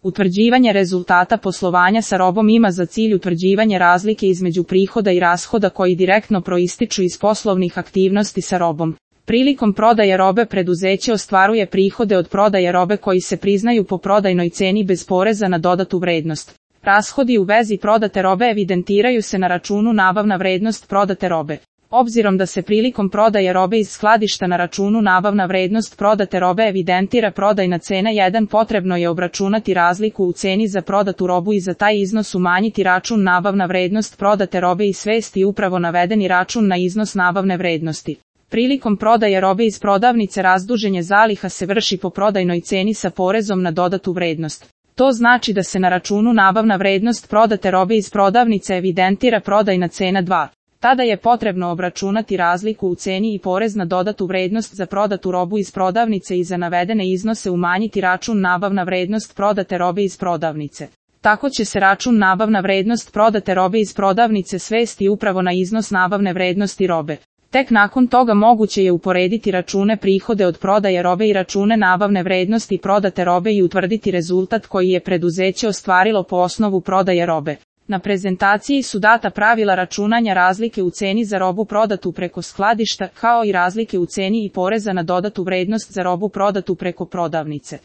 Utvrđivanje rezultata poslovanja sa robom ima za cilj utvrđivanje razlike između prihoda i rashoda koji direktno proističu iz poslovnih aktivnosti sa robom. Prilikom prodaje robe preduzeće ostvaruje prihode od prodaje robe koji se priznaju po prodajnoj ceni bez poreza na dodatu vrednost. Rashodi u vezi prodate robe evidentiraju se na računu nabavna vrednost prodate robe. Obzirom da se prilikom prodaje robe iz skladišta na računu nabavna vrednost prodate robe evidentira prodajna cena 1, potrebno je obračunati razliku u ceni za prodatu robu i za taj iznos umanjiti račun nabavna vrednost prodate robe i svesti upravo navedeni račun na iznos nabavne vrednosti. Prilikom prodaje robe iz prodavnice razduženje zaliha se vrši po prodajnoj ceni sa porezom na dodatu vrednost. To znači da se na računu nabavna vrednost prodate robe iz prodavnice evidentira prodajna cena 2. Tada je potrebno obračunati razliku u ceni i porez na dodatu vrednost za prodatu robu iz prodavnice i za navedene iznose umanjiti račun nabavna vrednost prodate robe iz prodavnice. Tako će se račun nabavna vrednost prodate robe iz prodavnice svesti upravo na iznos nabavne vrednosti robe. Tek nakon toga moguće je uporediti račune prihode od prodaje robe i račune nabavne vrednosti prodate robe i utvrditi rezultat koji je preduzeće ostvarilo po osnovu prodaje robe. Na prezentaciji su data pravila računanja razlike u ceni za robu prodatu preko skladišta, kao i razlike u ceni i poreza na dodatu vrednost za robu prodatu preko prodavnice.